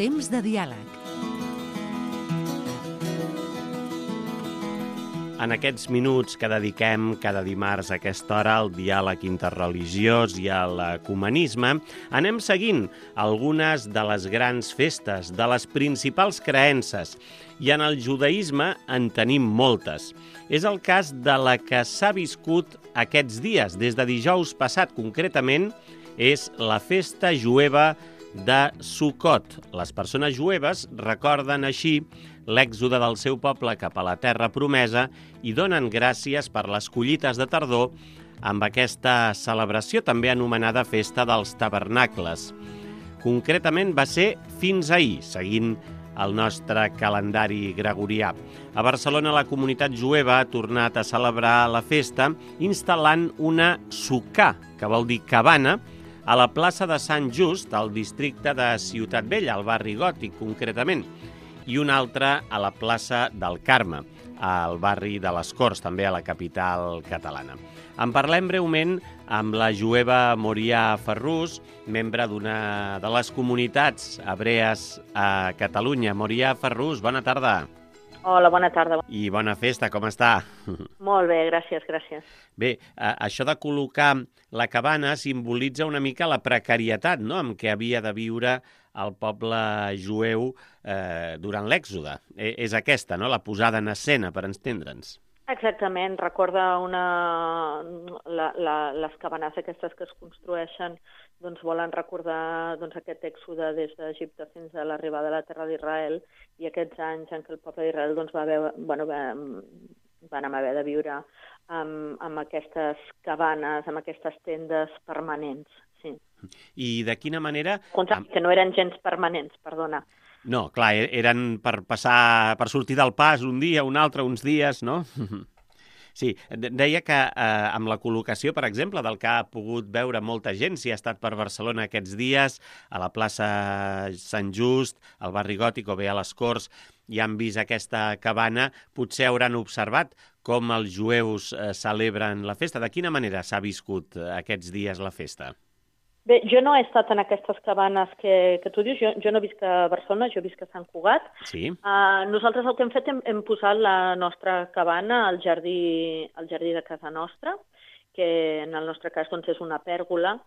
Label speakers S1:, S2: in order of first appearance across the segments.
S1: Temps de diàleg.
S2: En aquests minuts que dediquem cada dimarts a aquesta hora al diàleg interreligiós i a l'ecumenisme, anem seguint algunes de les grans festes, de les principals creences, i en el judaïsme en tenim moltes. És el cas de la que s'ha viscut aquests dies, des de dijous passat concretament, és la festa jueva de Sukkot. Les persones jueves recorden així l'èxode del seu poble cap a la terra promesa i donen gràcies per les collites de tardor amb aquesta celebració també anomenada Festa dels Tabernacles. Concretament va ser fins ahir, seguint el nostre calendari gregorià. A Barcelona la comunitat jueva ha tornat a celebrar la festa instal·lant una sukkà, que vol dir cabana, a la plaça de Sant Just, al districte de Ciutat Vella, al barri Gòtic concretament, i una altra a la plaça del Carme, al barri de les Corts, també a la capital catalana. En parlem breument amb la jueva Morià Ferrús, membre d'una de les comunitats hebrees a Catalunya. Morià Ferrús, bona tarda.
S3: Hola, bona tarda.
S2: I bona festa, com està?
S3: Molt bé, gràcies, gràcies.
S2: Bé, això de col·locar la cabana simbolitza una mica la precarietat, no?, amb què havia de viure el poble jueu durant l'èxode. És aquesta, no?, la posada en escena, per entendre'ns.
S3: Exactament, recorda les cabanes aquestes que es construeixen, doncs volen recordar aquest èxode des d'Egipte fins a l'arribada a la terra d'Israel i aquests anys en què el poble d'Israel van haver de viure amb aquestes cabanes, amb aquestes tendes permanents. Sí.
S2: I de quina manera...
S3: Que no eren gens permanents, perdona.
S2: No, clar, eren per passar, per sortir del pas un dia, un altre, uns dies, no? Sí, deia que amb la col·locació, per exemple, del que ha pogut veure molta gent, si ha estat per Barcelona aquests dies, a la plaça Sant Just, al barri Gòtic o bé a les Corts, i han vist aquesta cabana, potser hauran observat com els jueus celebren la festa. De quina manera s'ha viscut aquests dies la festa?
S3: Bé, jo no he estat en aquestes cabanes que tu dius, jo no visc a Barcelona, jo visc a Sant Cugat.
S2: Sí.
S3: Nosaltres el que hem fet, hem posat la nostra cabana al jardí de casa nostra, que en el nostre cas doncs, és una pèrgola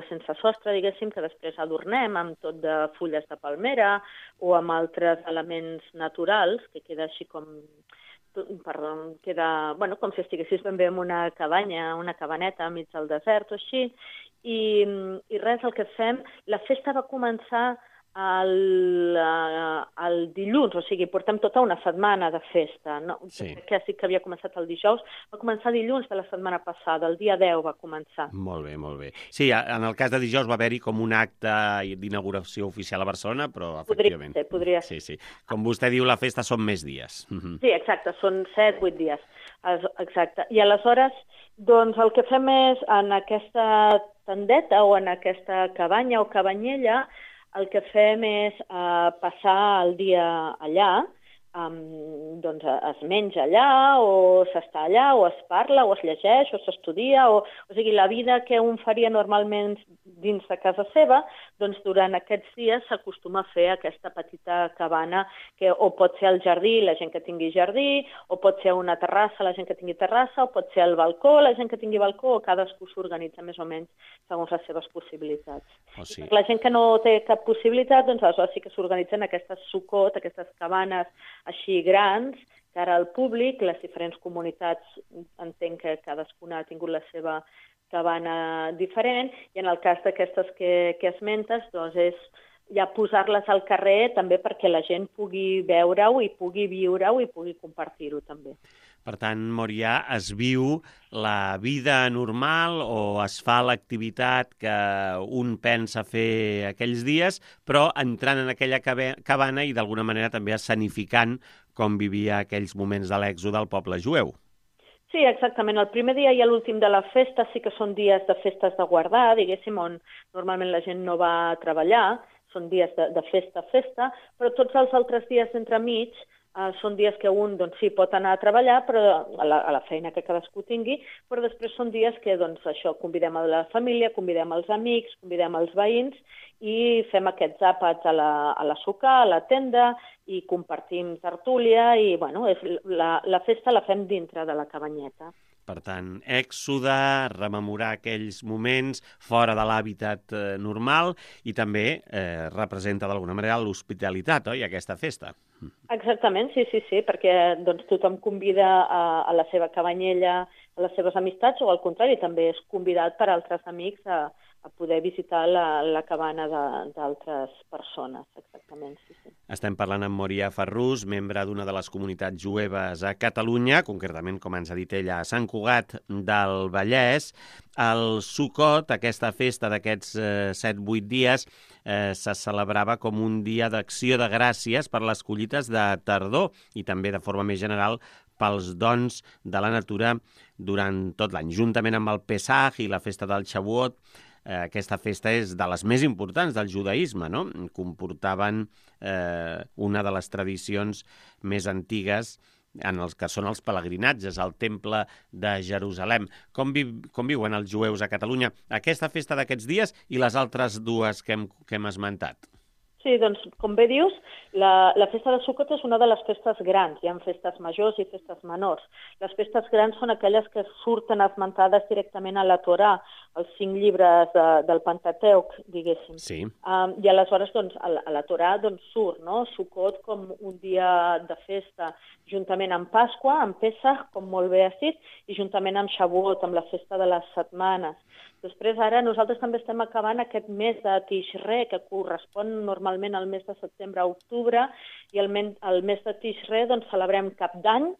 S3: sense sostre, diguéssim, que després adornem amb tot de fulles de palmera o amb altres elements naturals, que queda així com si estiguessis ben bé en una cabanya, una cabaneta enmig del desert o així, i res, el que fem, la festa va començar el dilluns, o sigui, portem tota una setmana de festa, no?
S2: Sí.
S3: Que sí que havia començat el dijous, va començar dilluns de la setmana passada, el dia 10 va començar.
S2: Molt bé, molt bé. Sí, en el cas de dijous va haver-hi com un acte d'inauguració oficial a Barcelona, però efectivament...
S3: Podria ser.
S2: Sí. Com vostè diu, la festa són més dies.
S3: Sí, exacte, són 7-8 dies. Exacte. I aleshores, doncs, el que fem és, en aquesta tendeta o en aquesta cabanya o cabanyella, el que fem és passar el dia allà, doncs es menja allà, o s'està allà, o es parla, o es llegeix, o s'estudia, o sigui, la vida que un faria normalment dins de casa seva, doncs durant aquests dies s'acostuma a fer aquesta petita cabana, que o pot ser al jardí, la gent que tingui jardí, o pot ser una terrassa, la gent que tingui terrassa, o pot ser al balcó, la gent que tingui balcó, o cadascú s'organitza més o menys segons les seves possibilitats.
S2: Oh, sí.
S3: La gent que no té cap possibilitat, doncs aleshores sí que s'organitzen aquestes sukkot, aquestes cabanes així grans, que ara el públic, les diferents comunitats, entenc que cadascuna ha tingut la seva cabana diferent, i en el cas d'aquestes que esmentes, doncs és ja posar-les al carrer també perquè la gent pugui veure-ho i pugui viure-ho i pugui compartir-ho també.
S2: Per tant, Morià, es viu la vida normal o es fa l'activitat que un pensa fer aquells dies, però entrant en aquella cabana i d'alguna manera també escenificant com vivia aquells moments de l'èxode del poble jueu.
S3: Sí, exactament. El primer dia i l'últim de la festa sí que són dies de festes de guardar, diguéssim, on normalment la gent no va a treballar, són dies de festa, però tots els altres dies d'entremig són dies que un doncs, sí, pot anar a treballar però a la feina que cadascú tingui, però després són dies que doncs, això convidem a la família, convidem els amics, convidem els veïns i fem aquests àpats a la suca, a la tenda, i compartim tertúlia i bueno, la festa la fem dintre de la cabanyeta.
S2: Per tant, èxode, rememorar aquells moments fora de l'hàbitat normal i també representa d'alguna manera l'hospitalitat, oi, aquesta festa?
S3: Exactament, sí, perquè doncs, tothom convida a la seva cabanyella, a les seves amistats, o al contrari, també és convidat per altres amics a poder visitar la cabana d'altres persones, exactament, sí.
S2: Estem parlant amb Morià Ferrús, membre d'una de les comunitats jueves a Catalunya, concretament, com ens ha dit ella, a Sant Cugat del Vallès. El Sukkot, aquesta festa d'aquests 7-8 dies, se celebrava com un dia d'acció de gràcies per les collites de tardor i també de forma més general pels dons de la natura durant tot l'any. Juntament amb el Pesach i la festa del Shavuot, aquesta festa és de les més importants del judaïsme, no? Comportaven una de les tradicions més antigues en els que són els pelegrinatges al Temple de Jerusalem. Com viuen els jueus a Catalunya aquesta festa d'aquests dies i les altres dues que hem esmentat?
S3: Sí, doncs, com bé dius, la festa de Sukkot és una de les festes grans. Hi ha festes majors i festes menors. Les festes grans són aquelles que surten esmentades directament a la Torà, els 5 llibres del Pentateuc, diguéssim.
S2: Sí.
S3: I aleshores, doncs, a la Torà doncs, surt, no? Sukkot com un dia de festa, juntament amb Pasqua, amb Pesach, com molt bé has dit, i juntament amb Shavuot, amb la festa de les setmanes. Després, ara, nosaltres també estem acabant aquest mes de Tishre, que correspon normalment al mes de setembre a octubre, i el mes de Tishre doncs, celebrem Cap d'Any,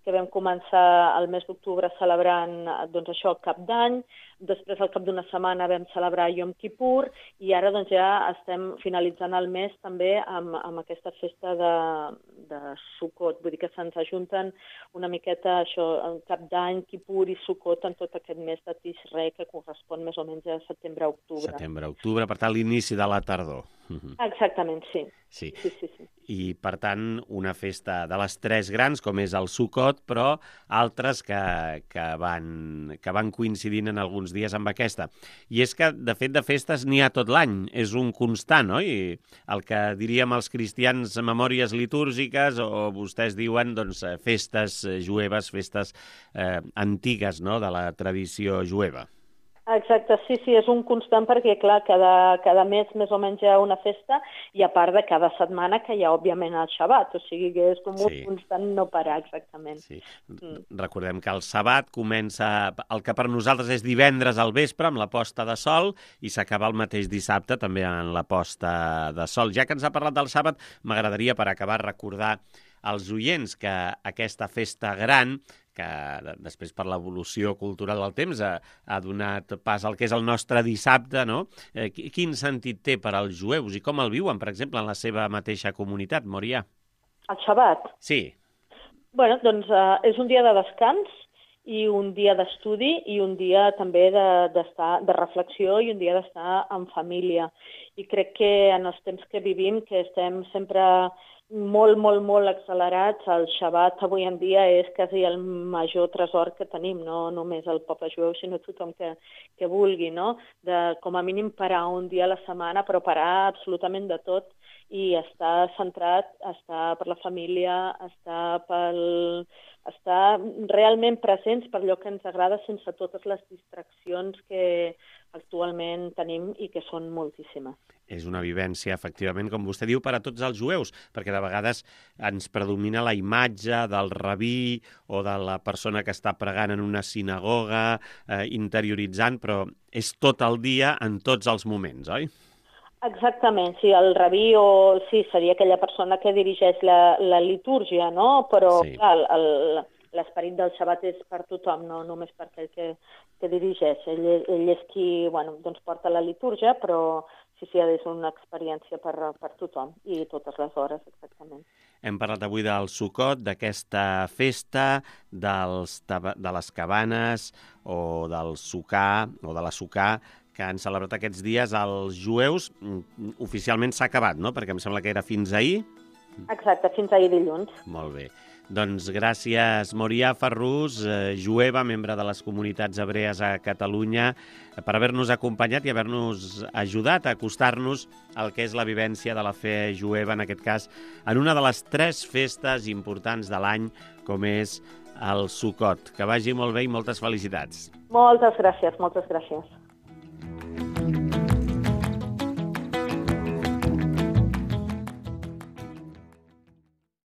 S3: que vam començar el mes d'octubre celebrant doncs, això, Cap d'Any, després al cap d'una setmana vam celebrar Yom Kippur, i ara doncs, ja estem finalitzant el mes també amb aquesta festa de Sukkot. Vull dir que se'ns ajunten una miqueta això, Cap d'Any, Kippur i Sukkot en tot aquest mes de Tishre, que correspon més o menys a setembre-octubre.
S2: Setembre-octubre, per tant, l'inici de la tardor.
S3: Exactament, sí.
S2: Sí. I, per tant, una festa de les 3 grans, com és el Sukkot, però altres que van coincidint en alguns dies amb aquesta. I és que, de fet, de festes n'hi ha tot l'any. És un constant, oi? El que diríem els cristians memòries litúrgiques, o vostès diuen doncs, festes jueves, festes antigues, no?, de la tradició jueva.
S3: Exacte, sí, és un constant perquè, clar, cada mes més o menys hi ha una festa i a part de cada setmana que hi ha, òbviament, el Shabbat, o sigui que és com un constant no parar, exactament.
S2: Sí. Recordem que el Sabbat comença, el que per nosaltres és divendres al vespre, amb la posta de sol, i s'acaba el mateix dissabte també en la posta de sol. Ja que ens ha parlat del Sabbat, m'agradaria, per acabar, recordar als oients que aquesta festa gran, que després per l'evolució cultural del temps ha donat pas al que és el nostre dissabte, no? Quin sentit té per als jueus i com el viuen, per exemple, en la seva mateixa comunitat, Morià?
S3: El Shabbat?
S2: Sí.
S3: Bueno, doncs és un dia de descans i un dia d'estudi i un dia també de reflexió i un dia d'estar en família. I crec que en els temps que vivim, que estem sempre molt accelerats, el Shabbat avui en dia és quasi el major tresor que tenim, no només el poble jueu, sinó tothom que vulgui, no? De, com a mínim, parar un dia a la setmana, però parar absolutament de tot i estar centrat, estar per la família, estar realment presents per allò que ens agrada sense totes les distraccions que actualment tenim i que són moltíssimes.
S2: És una vivència, efectivament, com vostè diu, per a tots els jueus, perquè de vegades ens predomina la imatge del rabí o de la persona que està pregant en una sinagoga, interioritzant, però és tot el dia en tots els moments, oi?
S3: Exactament, sí, el rabí sí, seria aquella persona que dirigeix la litúrgia, no? Però, sí, clar, l'esperit del Shabbat és per tothom, no només per aquell que dirigeix. Ell és qui, bueno, doncs porta la litúrgia, però sí, és una experiència per tothom i totes les hores, exactament.
S2: Hem parlat avui del Sukkot, d'aquesta festa, de les cabanes o del sucà o de la sucà, que han celebrat aquests dies els jueus. Oficialment s'ha acabat, no? Perquè em sembla que era fins ahir.
S3: Exacte, fins ahir dilluns.
S2: Molt bé. Doncs gràcies, Morià Ferrús, jueva, membre de les comunitats hebrees a Catalunya, per haver-nos acompanyat i haver-nos ajudat a acostar-nos al que és la vivència de la fe jueva, en aquest cas, en una de les 3 festes importants de l'any, com és el Sukkot. Que vagi molt bé i moltes felicitats.
S3: Moltes gràcies, moltes gràcies.